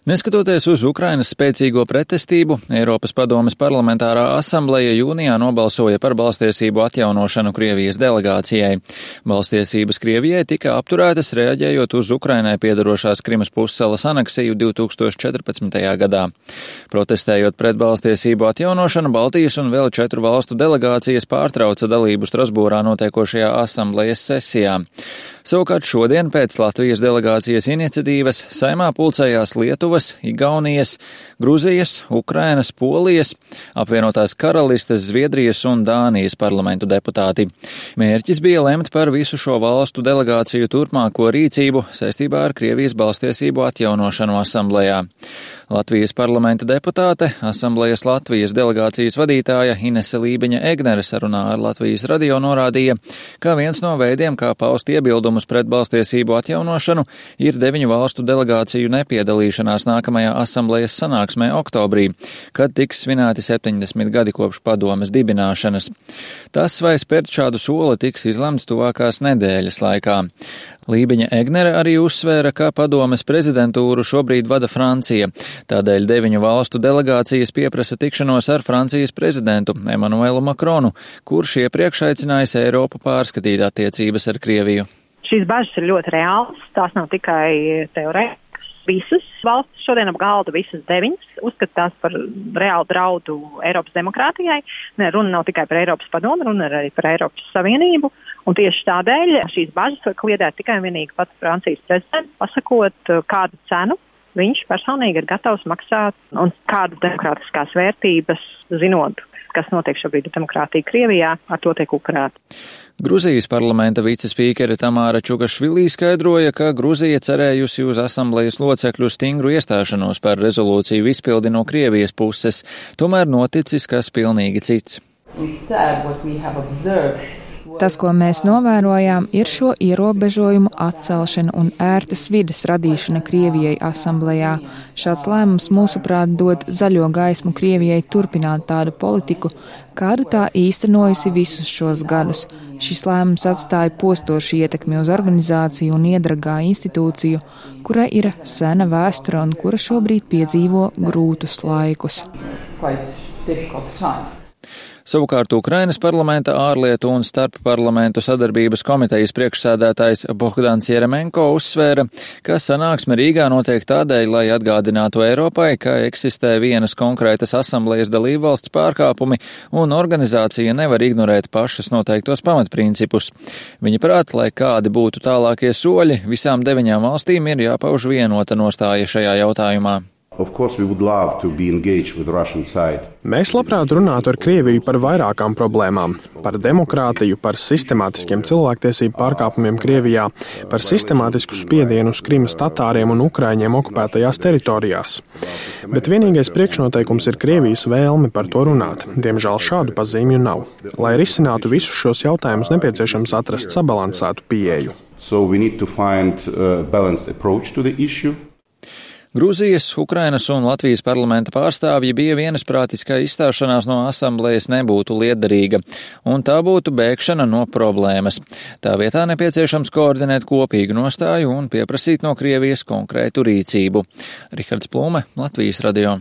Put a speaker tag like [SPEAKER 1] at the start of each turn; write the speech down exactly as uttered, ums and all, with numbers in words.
[SPEAKER 1] Neskatoties uz Ukrainas spēcīgo pretestību, Eiropas padomes parlamentārā asambleja jūnijā nobalsoja par balstiesību atjaunošanu Krievijas delegācijai. Balstiesības Krievijai tika apturētas reaģējot uz Ukrainai piedarošās Krimas pussalas aneksiju divs tūkstoši četrpadsmitajā gadā. Protestējot pret balstiesību atjaunošanu, Baltijas un vēl četru valstu delegācijas pārtrauca dalību Strasbūrā notiekošajā asamblejas sesijā. Savukārt šodien pēc Latvijas delegācijas iniciatīvas Saeimā pulcējās Lietuvas, Igaunijas, Gruzijas, Ukrainas, Polijas, apvienotās Karalistes, Zviedrijas un Dānijas parlamentu deputāti. Mērķis bija lemt par visu šo valstu delegāciju turpmāko rīcību saistībā ar Krievijas balstiesību atjaunošanu asamblejā. Latvijas parlamenta deputāte, asamblejas Latvijas delegācijas vadītāja Inese Lībiņa-Egnere sarunā ar Latvijas radio norādīja, ka viens no veidiem, kā paust iebildumus pret balstiesību atjaunošanu, ir deviņu valstu delegāciju nepiedalīšanās nākamajā asamblejas sanāksmē oktobrī, kad tiks svinēti septiņdesmit gadi kopš padomes dibināšanas. Tas, vai spērt šādu soli, tiks izlemts tuvākās nedēļas laikā. Lībiņa-Egnere arī uzsvēra, ka padomes prezidentūru šobrīd vada Francija. Tādēļ deviņu valstu delegācijas pieprasa tikšanos ar Francijas prezidentu Emanuelu Makronu, kurš iepriekš aicinājis Eiropu pārskatīt attiecības ar Krieviju.
[SPEAKER 2] Šīs bažas ir ļoti reālas, tās nav tikai teorētiskas. Visas valstis šodien ap galdu, visas deviņas, uzskata tās par reālu draudu Eiropas demokrātijai. Ne, runa nav tikai par Eiropas padomu, runa arī par Eiropas Savienību. Un tieši tādēļ šīs bažas var kliedēt tikai un vienīgi pats Francijas prezidents, pasakot, kādu cenu viņš personīgi ir gatavs maksāt un kādas demokrātiskās vērtības, zinot, kas notiek šobrīd demokrātija Krievijā, ar to tiek upurēta.
[SPEAKER 1] Gruzijas parlamenta vicespīkere Tamāra Čugašvilī skaidroja, ka Gruzija cerējusi uz asamblejas locekļu stingru iestāšanos par rezolūciju izpildi no Krievijas puses, tomēr noticis kas pilnīgi cits.
[SPEAKER 3] Tas, ko mēs novērojām, ir šo ierobežojumu atcelšana un ērtas vides radīšana Krievijai asamblejā. Šāds lēmums, mūsuprāt, dod zaļo gaismu Krievijai turpināt tādu politiku, kādu tā īstenojusi visus šos gadus. Šis lēmums atstāja postošu ietekmi uz organizāciju un iedragā institūciju, kurai ir sena vēsture un kura šobrīd piedzīvo grūtus laikus.
[SPEAKER 1] Savukārt Ukrainas parlamenta ārlietu un starpparlamentu sadarbības komitejas priekšsēdētājs Bohdans Jeremenko uzsvēra, ka sanāksme Rīgā notiek tādēļ, lai atgādinātu Eiropai, ka eksistē vienas konkrētas asamblejas dalībvalsts pārkāpumi un organizācija nevar ignorēt pašas noteiktos pamatprincipus. Viņa prāt, lai kādi būtu tālākie soļi, visām deviņām valstīm ir jāpauž vienota nostāja šajā jautājumā.
[SPEAKER 4] Mēs labprāt runātu ar Krieviju par vairākām problēmām – par demokrātiju, par sistemātiskiem cilvēktiesību pārkāpumiem Krievijā, par sistemātisku spiedienu uz Krimas tatāriem un ukraiņiem okupētajās teritorijās. Bet vienīgais priekšnoteikums ir Krievijas vēlme par to runāt. Diemžēl šādu pazīmju nav. Lai risinātu visus šos jautājumus, nepieciešams atrast sabalansētu pieeju.
[SPEAKER 5] So we need to find a balanced approach to the issue.
[SPEAKER 1] Gruzijas, Ukrainas un Latvijas parlamenta pārstāvji bija vienasprātis, ka izstāšanās no asamblejas nebūtu lietderīga, un tā būtu bēgšana no problēmas. Tā vietā nepieciešams koordinēt kopīgu nostāju un pieprasīt no Krievijas konkrētu rīcību. Rihards Plume, Latvijas radio.